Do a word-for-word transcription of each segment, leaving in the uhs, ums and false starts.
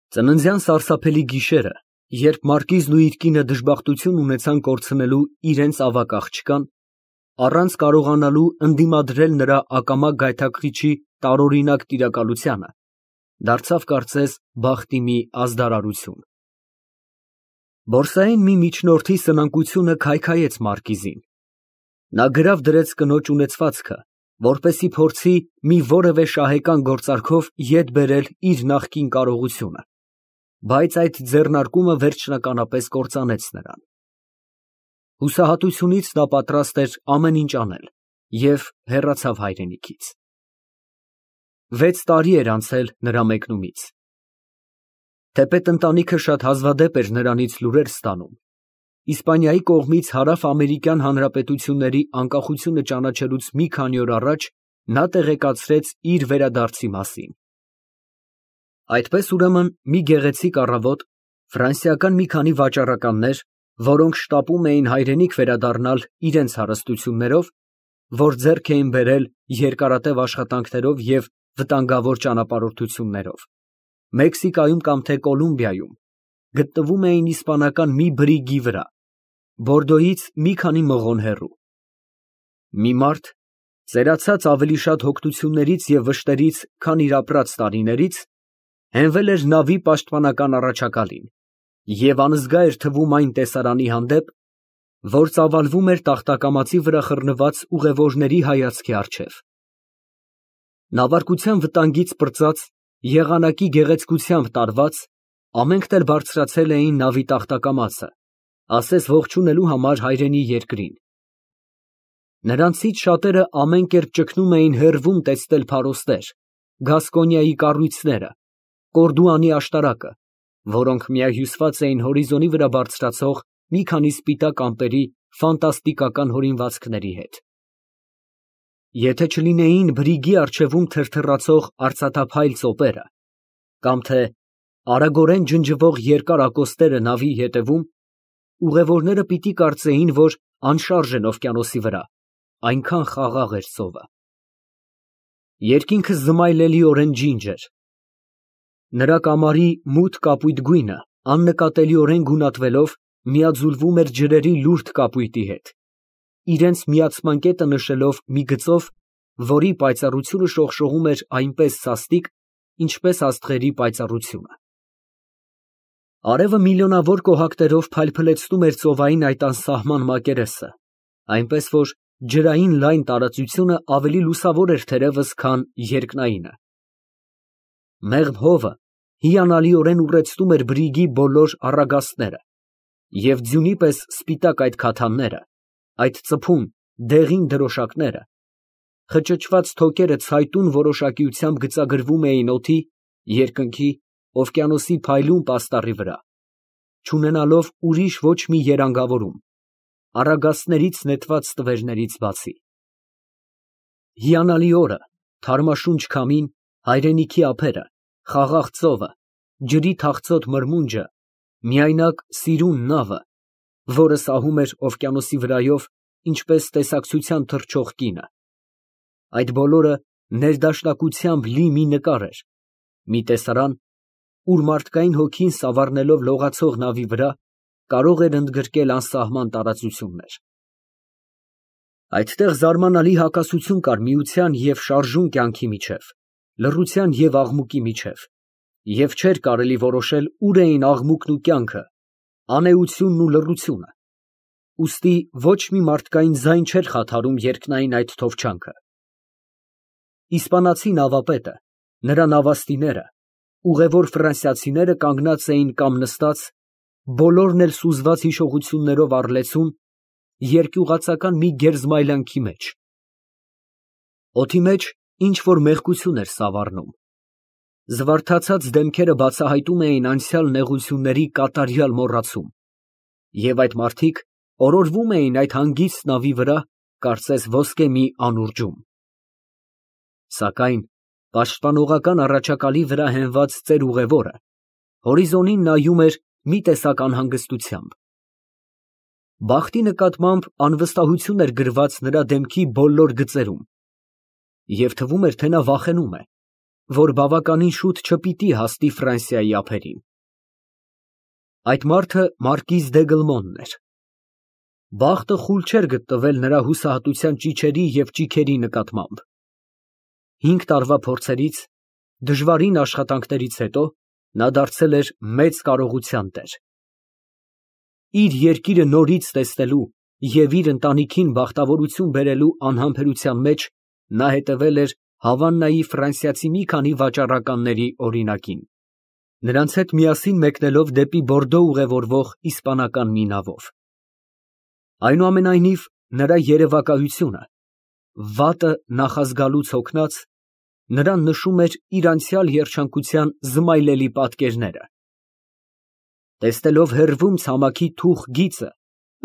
Ծննդյան սարսափելի գիշերը, երբ մարկիզն ու իր կինը դժբախտություն ունեցան կորցնելու իրենց ավագ աղջկան, առանց կարողանալու ընդդիմադրել նրա ակամա գայթակղիչի տարօրինակ տիրակալությանը, դարձավ կարծես բախտի մի ազդարարություն։ Բորսային մի միջնորդի սնանկությունը քայքայեց մարկիզին։ Նա գրավ դրեց կնոջ ունեցվածքը, որպեսզի փորձի մի որևէ շահեկան գործարքով ետ բերել իր նախկին կարողությունը, բայց այդ ձեռնարկումը վերջնականապես կործանեց նրան։ Հուսահատությունից նա պատրաստ էր ամեն ինչ անել և հեռացավ հայրենիքից։ Վեց տարի էր անցել նրա մեկնումից։ Թեպետ ընտանիքը շատ հազվադեպ էր նրանից լուրեր ստանում, Իսպանիայի կողմից Հարավամերիկյան Հանրապետությունների անկախությունը ճանաչելուց մի քանի օր առաջ նա տեղեկացրեց իր վերադարձի մասին։ Այդպես ուրեմն մի գեղեցիկ առավոտ ֆրանսիական մի քանի վաճառականներ, որոնք շտապում էին հայրենիք վերադառնալ իրենց հարստություններով, որ ձեռք էին բերել երկարատև աշխատանքներով և վտանգավոր ճանապարհորդություններով, Մեքսիկայում կամ թե Կոլումբիայում, գտնվում էին իսպանական մի բրիգի վրա, Բորդոյից մի քանի մղոն հեռու։ Մի մարդ, ծերացած ավելի շատ հոգնություններից և վշտերից, քան իր ապրած տարիներից, հենվել էր նավի պաշտպանական առաջակալին և անզգա էր թվում այն տեսարանի հանդեպ, որ ծավալվում էր տախտակամածի վրա խռնված ուղևորների հայացքի առջև։ Նավարկության վտանգից պրծած, եղանակի գեղեցկությամբ տարված, ամենքն էլ բարձրացել էին նավի տախտակամածը, ասես ողջունելու համար հայրենի երկրին։ Նրանցից շատերը ամեն կերպ ճգնում էին հեռվում տեսնել փարոստեր, Գասկոնիայի կառույցները, Կորդուանի աշտարակը, որոնք միահյուսված էին հորիզոնի վրա բարձրացող մի քանի սպիտակ ամպերի ֆանտաստիկական հորինվածքների հետ։ Եթե չլինեին բրիգի առջևում թրթռացող արծաթափայլ ծոպերը, կամ թե արագորեն ջնջվող երկար ակոստերը նավի ետևում, ուղևորները պիտի կարծեին, որ անշարժ են օվկիանոսի վրա, այնքան խաղաղ էր ծովը։ Երկինքը զմայլելիորեն ջինջ էր։ Նրա կամարի մութ կապույտ գույնը աննկատելիորեն գունատվելով միաձուլվում էր ջրերի լուրջ կապույտի հետ, իրենց միացման կետը նշելով մի գծով, որի պայծառությունը շողշողում էր այնպես սաստիկ, ինչպես աստղերի պայծառությունը։ Արևը միլիոնավոր կոհակներով փայլփլեցնում էր ծովային այդ անսահման մակերեսը, այնպես որ ջրային լայն տարածությունը ավելի լուսավոր էր թերևս, քան երկնայինը։ Մեղմ հովը հիանալիորեն ուռեցնում էր բրիգի բոլոր առագաստները, և ձյունի պես սպիտակ այդ քաթանները, այդ ծփում, դեղին դրոշակները, խճճված թոքերը ցայտուն որոշակիությամբ գծագրվում էին օդի, երկնքի, օվկիանոսի փայլուն պաստառի վրա, չունենալով ուրիշ ոչ մի երանգավորում, առագաստներից նետված ստվերներից բացի։ Հիանալի օրը, թարմաշունչ քամին, հայրենիքի ափերը, խաղաղ ծովը, ջրի թախծոտ մրմունջը, միայնակ սիրուն նավը, որը սահում էր օվկիանոսի վրայով, ինչպես տեսակցության թռչող կինը։ Այդ բոլորը ներդաշնակությամբ լի մի նկար էր, մի տեսարան, ուր մարդկային հոգին սավառնելով լողացող նավի վրա, կարող էր ընդգրկել անսահման տարածություններ։ Այդտեղ զարմանալի հակասություն կար միության և շարժուն կյանքի միջև, լռության և աղմուկի միջև, և չէր կարելի որոշել ուր էին աղմուկն ու կյանքը, անէությունն ու լռությունը, ուստի ոչ մի մարդկային ձայն չէր խաթարում երկնային այդ թովչանքը։ Իսպանացի նավապետը, նրա նավաստիները, ուղևոր ֆրանսիացիները կանգնած էին կամ նստած, բոլորն էլ սուզված հիշողություններով առ լեցուն, երկյուղածական մի գերզմայլանքի մեջ։ Օդի մեջ ինչ֊որ մեղքություն էր սավառնում։ Զվարթացած դեմքերը բացահայտում էին անցյալ նեղությունների կատարյալ մոռացում, և այդ մարդիկ օրորվում էին այդ հանգիստ նավի վրա, կարծես ոսկե մի անուրջում։ Սակայն պաշտպանողական առաջակալի վրա հենված ծեր ուղևորը հորիզոնին նայում էր մի տեսակ անհանգստությամբ։ Բախտի նկատմամբ անվստահություն էր գրված նրա դեմքի բոլոր գծերում, և թվում էր, թե նա վախենում է, որ բավականին շուտ չպիտի հասնի Ֆրանսիայի ափերին։ Այդ մարդը մարկիզ դե Գլմոնն էր։ Բախտը խուլ չէր գտնվել նրա հուսահատության ճիչերի և ճիգերի նկատմամբ։ Հինգ տարվա փորձերից, դժվարին աշխատանքներից հետո նա դարձել էր մեծ կարողության տեր։ Իր երկիրը նորից տեսնելու և իր ընտանիքին բախտավորություն բերելու անհամբերության մեջ նա հետևել էր Հավաննայի ֆրանսիացի մի քանի վաճառականների օրինակին, նրանց հետ միասին մեկնելով դեպի Բորդո ուղևորվող իսպանական մի նավով։ Այնուամենայնիվ, նրա երևակայությունը, վատը նախազգալուց հոգնած, նրան նշում էր իր անցյալ երջանկության զմայլելի պատկերները։ Տեսնելով հեռվում ցամաքի թուխ գիծը,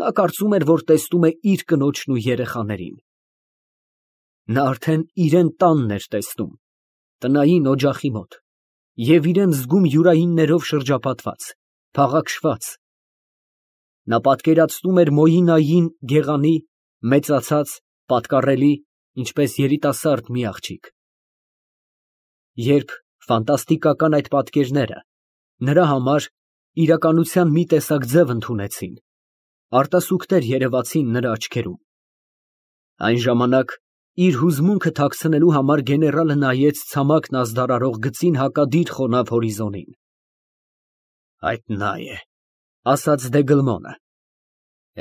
նա կարծում էր, որ տեսնում է իր կնոջն ու երեխաներին։ Նա արդեն իրան տանն էր տեսնում, տնային օջախի մոտ, և իրան զգում յուրայիններով շրջապատված, փաղաքշված։ Նա պատկերացնում էր Մոյինային գեղանի, մեծացած, պատկառելի, ինչպես երիտասարդ մի աղջիկ։ Երբ ֆանտաստիկական այդ պատկերները նրա համար իրականության մի տեսակ ձև ընդունեցին, արտասուքներ երևացին նրա աչքերում, այն ժամանակ իր հուզմունքը թաքցնելու համար գեներալը նայեց ցամաքն ազդարարող գծին հակադիր խոնավ հորիզոնին։ Այդ նա է, ասաց դե Գլմոնը,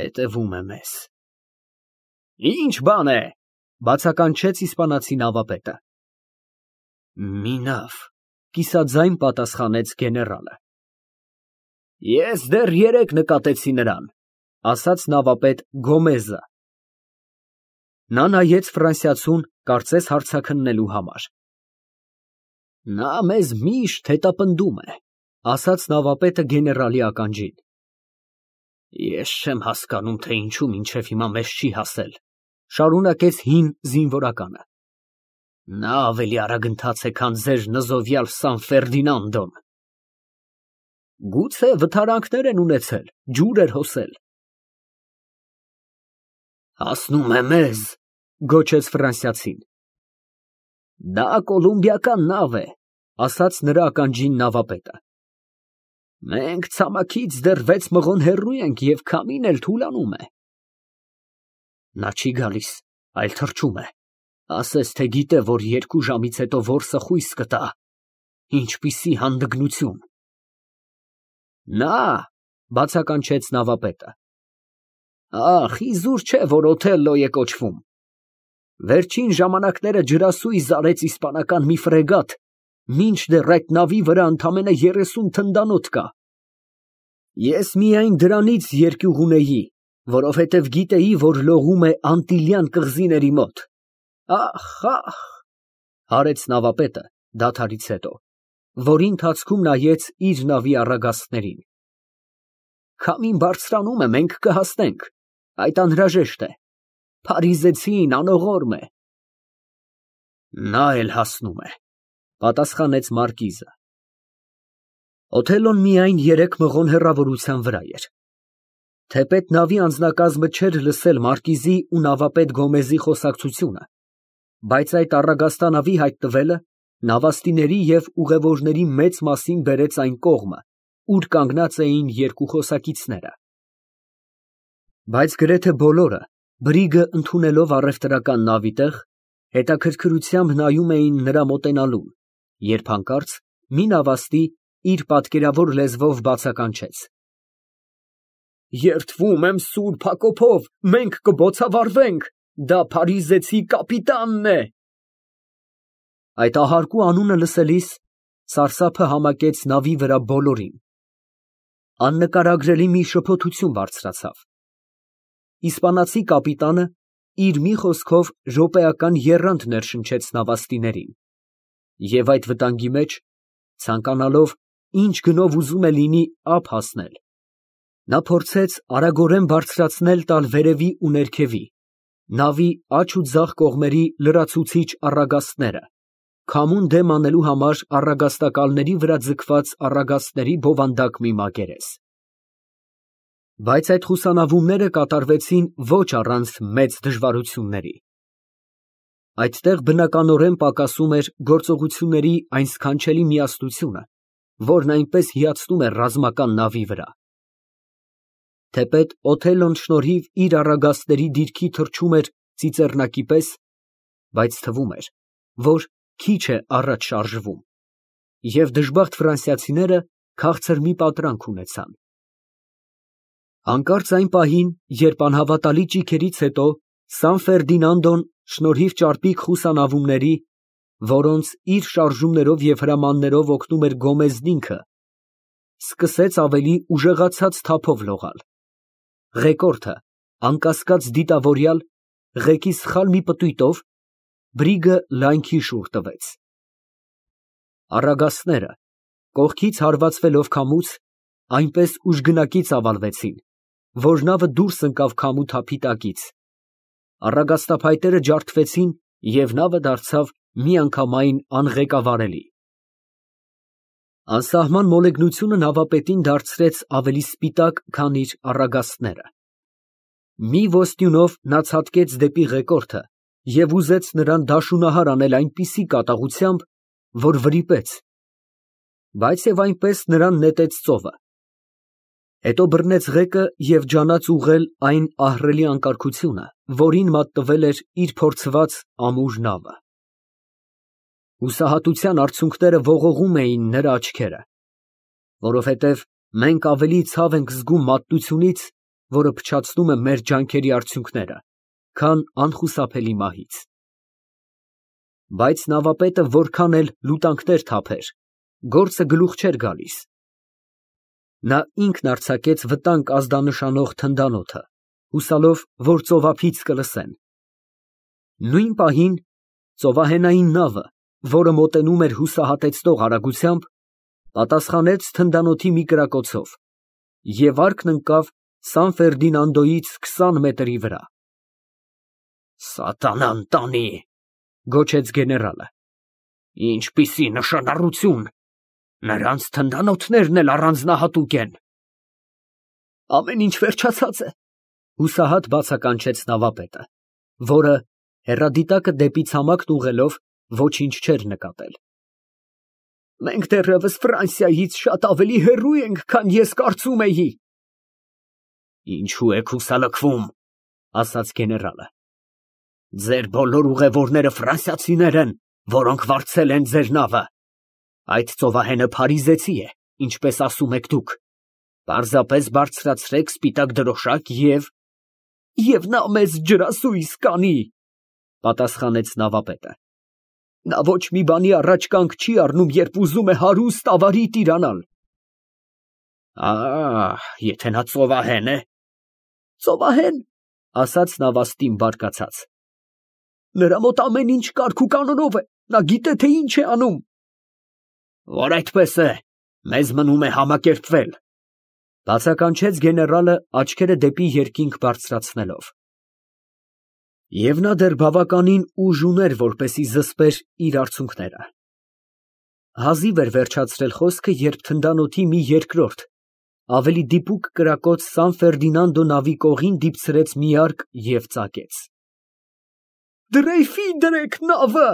հետևում է մեզ։ Ինչ բան է, բացականչեց իսպանացի նավապետը։ Մի նավ, կիսաձայն պատասխանեց գեներալը։ Ես դեռ երեկ նկատեցի նրան, ասաց նավապետ Գոմեզը։ Նա նայեց ֆրանսիացուն, կարծես հարցաքննելու համար։ Նա մեզ միշտ հետապնդում է, ասաց նավապետը գեներալի ականջին։ Ես չեմ հասկանում, թե ինչու մինչև հիմա մեզ չի հասել, շարունակեց հին զինվորականը։ Նա ավելի արագընթաց է, քան ձեր նզովյալ Սան Ֆերդինանդոն։ Գուցե վթարանքներ են ունեցել, ջուր էր հոսել։ Հասնում է մեզ, գոչեց ֆրանսիացին։ Դա կոլումբիական նավ է, ասաց նրա ականջին նավապետը։ Մենք ցամաքից դեռ վեց մղոն հեռու ենք և քամին էլ թուլանում է։ Նա չի գալիս, այլ թռչում է, ասես թե գիտե, որ երկու ժամից հետո որսը խույս կտա, ինչպիսի հանդգնություն։ Նա, բացականչեց նավապետը։ Ախ, իզուր չէ, որ Օթելլո է կոչվում։ Վերջին ժամանակները ջրասույզ արեց իսպանական մի ֆրեգատ, մինչդեռ այդ նավի վրա ընդամենը երեսուն թնդանոթ կա։ Ես միայն դրանից երկյուղ ունեի, որովհետև գիտեի, որ լողում է Անտիլյան կղզիների մոտ։ Ախ, ախ, հարեց նավապետը դադարից հետո, որի ընթացքում նայեց իր նավի առագաստներին։ Քամին բարձրանում է, մենք կհասնենք, այդ անհրաժեշտ է։ Փարիզեցին անողորմ է։ Նա էլ հասնում է, պատասխանեց մարկիզը։ Օթելլոն միայն երեք մղոն հեռավորության վրա էր։ Թեպետ նավի անձնակազմը չէր լսել մարկիզի ու նավապետ Գոմեզի խոսակցությունը, բայց այդ առագաստանավի հայտնվելը նավաստիների և ուղևորների մեծ մասին բերեց այն կողմը, ուր կանգնած էին երկու խոսակիցները։ Բայց գրեթե բոլորը, բրիգը ընդունելով առևտրական նավի տեղ, հետաքրքրությամբ նայում էին նրա մոտենալուն, երբ հանկարծ մի նավաստի իր պատկերավոր լեզվով բացականչեց. Երդվում եմ Սուրբ Հակոբով, մենք կբոցավառվենք, դա փարիզեցի կապիտանն է։ Այդ ահարկու անունը լսելիս սարսափը համակեց նավի վրա բոլորին։ Աննկարագրելի մի շփոթություն բարձրացավ։ Իսպանացի կապիտանը իր մի խոսքով րոպեական եռանդ ներշնչեց նավաստիներին, և այդ վտանգի մեջ, ցանկանալով ինչ գնով ուզում է լինի ափ հասնել, նա փորձեց արագորեն բարձրացնել տալ վերևի ու ներքևի, նավի աջ ու ձախ կողմերի լրացուցիչ առագաստները, քամուն դեմ անելու համար առագաստակալների վրա ձգված առագաստների բովանդակ մի մակերես։ Բայց այդ խուսանավումները կատարվեցին ոչ առանց մեծ դժվարությունների։ Այդտեղ բնականորեն պակասում էր գործողությունների այն սքանչելի միասնությունը, որն այնպես հիացնում է ռազմական նավի վրա։ Թեպետ Օթելլոն շնորհիվ իր առագաստների դիրքի թռչում էր ծիծեռնակի պես, բայց թվում էր, որ քիչ է առաջ շարժվում, և դժբախտ ֆրանսիացիները քաղցր մի պատրանք ունեցան։ Հանկարծ այն պահին, երբ անհավատալի ճիգերից հետո Սան Ֆերդինանդոն շնորհիվ ճարպիկ խուսանավումների, որոնց իր շարժումներով և հրամաններով օգնում էր Գոմեզն ինքը, սկսեց ավելի ուժեղացած թափով լողալ, ղեկորդը, անկասկած դիտավորյալ, ղեկի սխալ մի պտույտով բրիգը լայնքի շուռ տվեց։ Առագաստները, կողքից հարվածվելով քամուց, այնպես ուժգնակի ծավալվեցին, որ նավը դուրս ընկավ քամու թափի տակից, առագաստափայտերը ջարդվեցին և նավը դարձավ միանգամայն անղեկավարելի։ Անսահման մոլեգնությունը նավապետին դարձրեց ավելի սպիտակ, քան իր առագաստները։ Մի ոստյունով նա ցատկեց դեպի ղեկորդը և ուզեց նրան դաշունահար անել այնպիսի կատաղությամբ, որ վրիպեց, բայց և այնպես նրան նետեց ծովը, հետո բռնեց ղեկը և ջանաց ուղղել այն ահռելի անկարգությունը, որին մատնվել էր իր փորձված ամուր նավը։ Հուսահատության արցունքները ողողում էին նրա աչքերը, որովհետև մենք ավելի ցավ ենք զգում մատնությունից, որը փչացնում է մեր ջանքերի արդյունքները, քան անխուսափելի մահից։ Բայց նավապետը որքան էլ լուտանքներ թափեր, գործը գլուխ չէր գալիս։ Նա ինքն արձակեց վտանգ ազդանշանող թնդանոթը, հուսալով, որ ծովափից կլսեն։ Նույն պահին ծովահենային նավը, որը մոտենում էր հուսահատեցնող արագությամբ, պատասխանեց թնդանոթի մի կրակոցով և վարկն ընկավ Սան Ֆերդինանդոյից քսան մետրի վրա։ «Սատանան տանի», գոչեց գեներալը, «ինչպիսի նշանառություն, նրանց թնդանոթներն էլ առանձնահատուկ են»։ «Ամեն ինչ վերջացած է», հուսահատ բացականչեց նավապետը, որը, հեռադիտակը դեպի ցամաքն ուղղելով, ոչինչ չէր նկատել։ «Մենք դեռևս Ֆրանսիայից շատ ավելի հեռու ենք, քան ես կարծում էի»։ «Ինչո՞ւ եք հուսալքվում», ասաց գեներալը, «ձեր բոլոր ուղևորները ֆրանսիացիներ են, որոնք վարձել են ձեր նավը։ Այդ ծովահենը փարիզեցի է, ինչպես ասում եք դուք, պարզապես բարձրացրեք սպիտակ դրոշակ և… և նա մեզ ջրասույզ կանի», պատասխանեց նավապետը։ «Նա ոչ մի բանի առաջ կանգ չի առնում, երբ ուզում է հարուստ ավարի տիրանալ»։ «Ա՜, եթե նա ծովահեն է…» «Ծովահեն», ասաց նավաստին բարկացած, «նրա մոտ ամեն ինչ կարգ ու կանոնով է, նա գիտե, թե ինչ է անում»։ «Որ այդպես է, մեզ մնում է համակերպվել», բացականչեց գեներալը, աչքերը դեպի երկինք բարձրացնելով։ Եվ նա դեռ բավականին ուժ ուներ, որպեսզի զսպեր իր արցունքները։ Հազիվ էր վերջացրել խոսքը, երբ թնդանոթի մի երկրորդ, ավելի դիպուկ կրակոց Սան Ֆերդինանդո նավի կողին դիպցրեց մի արկ և ծակեց։ «Դրեյֆի դրեք նավը»,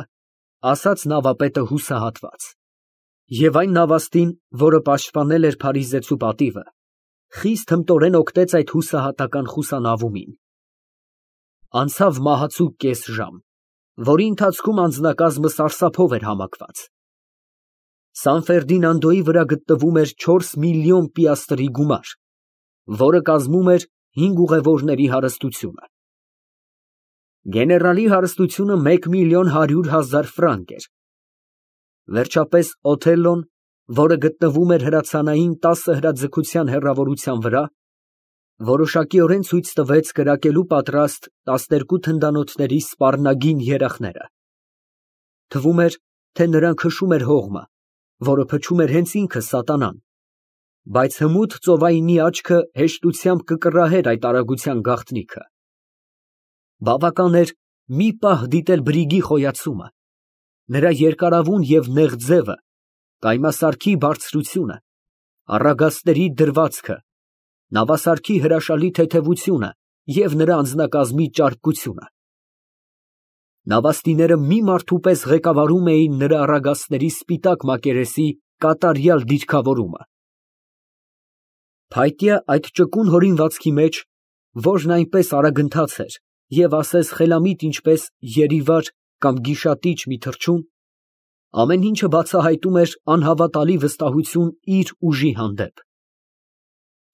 ասաց նավապետը հուսահատված։ Եվ այն նավաստին, որը պաշտպանել էր փարիզեցու պատիվը, խիստ հմտորեն օգնեց այդ հուսահատական խուսանավումին։ Անցավ մահացու կես ժամ, որի ընթացքում անձնակազմը սարսափով էր համակված։ Սան Ֆերդինանդոյի վրա գտնվում էր չորս միլիոն պիաստրի գումար, որը կազմում էր հինգ ուղևորների հարստությունը։ Գեներալի հարստությունը մեկ միլիոն հարյուր հազար ֆրանկ էր։ Վերջապես Օթելլոն, որը գտնվում էր հրացանային տասը հրաձգության հեռավորության վրա, որոշակիորեն ցույց տվեց կրակելու պատրաստ տասներկու թնդանոթների սպառնագին երախները։ Թվում էր, թե նրան քշում էր հողմը, որը փչում էր հենց ինքը սատանան, բայց հմուտ ծովայինի աչքը հեշտությամբ կկռահեր այդ արագության գաղտնիքը։ Բավական էր մի պահ դիտել բրիգի խոյացումը, նրա երկարավուն և նեղ ձևը, կայմասարքի բարձրությունը, առագաստների դրվածքը, նավասարքի հրաշալի թեթևությունը և նրա անձնակազմի ճարպկությունը։ Նավաստիները մի մարդու պես ղեկավարում էին նրա առագաստների սպիտակ մակերեսի կատարյալ դիրքավորումը։ Փայտյա այդ ճկուն հորինվածքի մեջ, որն այնպես արագընթաց էր և ասես խելամիտ ինչպես երիվար կամ գիշատիչ մի թռչուն, ամեն ինչը բացահայտում էր անհավատալի վստահություն իր ուժի հանդեպ։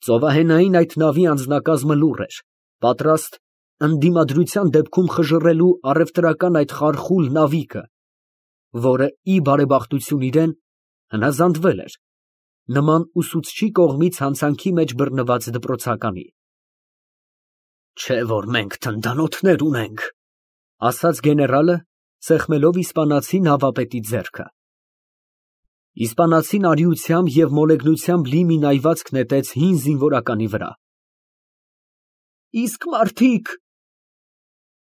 Ծովահենային այդ նավի անձնակազմը լուռ էր, պատրաստ ընդդիմադրության դեպքում խժռելու առևտրական այդ խարխուլ նավիկը, որը, ի բարեբախտություն իրան, հնազանդվել էր, նման ուսուցչի կողմից հանցանքի մեջ բռնված դպրոցականի։ «Չէ՞ որ մենք թնդանոթներ ունենք», ֊ ասաց գեներալը, սեղմելով իսպանացի նավապետի ձեռքը։ Իսպանացին արիությամբ և մոլեգնությամբ լի մի նայվածք նետեց հին զինվորականի վրա։ «Իսկ մարդիկ…»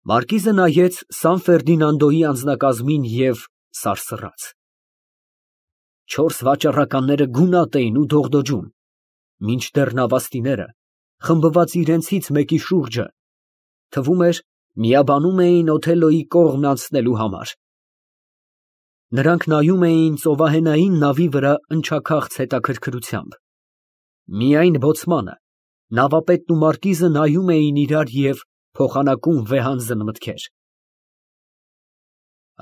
Մարկիզը նայեց Սան Ֆերդինանդոյի անձնակազմին և սարսռաց։ Չորս վաճառականները գունատ էին ու դողդոջում, մինչդեռ նավաստիները, խմբված իրենցից մեկի շուրջը, թվում էր, միաբանում էին Օթելլոյի կողմն անցնելու համար։ Նրանք նայում էին ծովահենային նավի վրա ընչաքաղց հետաքրքրությամբ։ Միայն բոցմանը, նավապետն ու մարկիզը նայում էին իրար և փոխանակում վեհանձն մտքեր։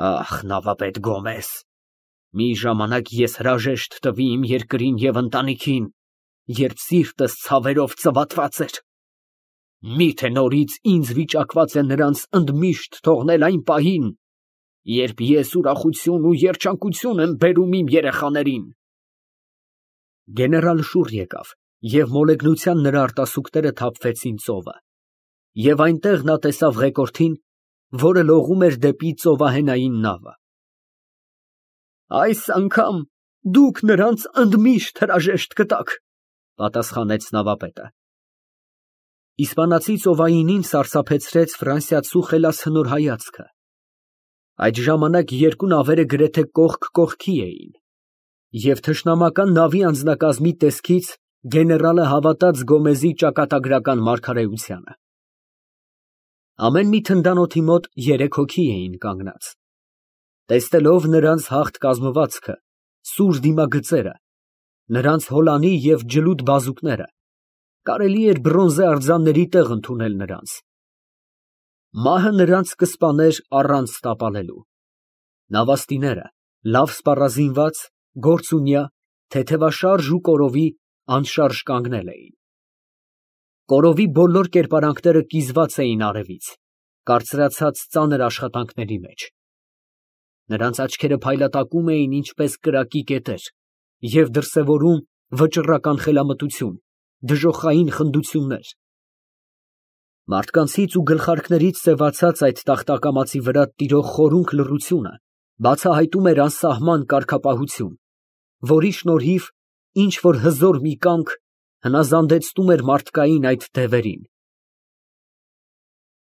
«Ախ, նավապետ Գոմեզ, մի ժամանակ ես հրաժեշտ տվի իմ երկրին և ընտանիքին, երբ սիրտս ցավերով ծվատված էր։ Մի՞թե նորից ինձ վիճակված է նրանց ընդմիշտ թողնել այն պահին, երբ ես ուրախություն ու երջանկություն եմ բերում իմ երեխաներին»։ Գեներալը շուռ եկավ, և մոլեգնության նրա արտասուքները թափվեցին ծովը, և այնտեղ նա տեսավ ղեկորդին, որը լողում էր դեպի ծովահենային նավը։ «Այս անգամ դուք նրանց ընդմիշտ հրաժեշտ կտաք», ֊ պատասխանեց նավապետը։ Իսպանացի ծովայինին սարսափեցրեց ֆրանսիացու խելացնոր հայացքը։ Այդ ժամանակ երկու նավերը գրեթե կողք կողքի էին, և թշնամական նավի անձնակազմի տեսքից գեներալը հավատաց Գոմեզի ճակատագրական մարգարեությանը։ Ամեն մի թնդանոթի մոտ երեք հոգի էին կանգնած։ Տեսնելով նրանց հաղթ կազմվածքը, սուր դիմագծերը, նրանց հոլանի և ջլուդ բազուկները, կարելի էր բրոնզե արձանների տեղ ընդունել նրանց։ Մահը նրանց կսպաներ առանց տապալելու։ Նավաստիները, լավ սպառազինված, գործունյա, թեթևաշարժ ու կորովի, անշարժ կանգնել էին։ Կորովի բոլոր կերպարանքները կիզված էին արևից, կարծրացած ծանր աշխատանքների մեջ։ Նրանց աչքերը փայլատակում էին ինչպես կրակի կետեր և դրսևորում վճռական խելամտություն, դժոխային խնդություններ։ Մարդկանցից ու գլխարկներից սևացած այդ տախտակամածի վրա տիրող խորունկ լռությունը բացահայտում էր անսահման կարգապահություն, որի շնորհիվ ինչ որ հզոր մի կամք հնազանդեցնում էր մարդկային այդ դևերին։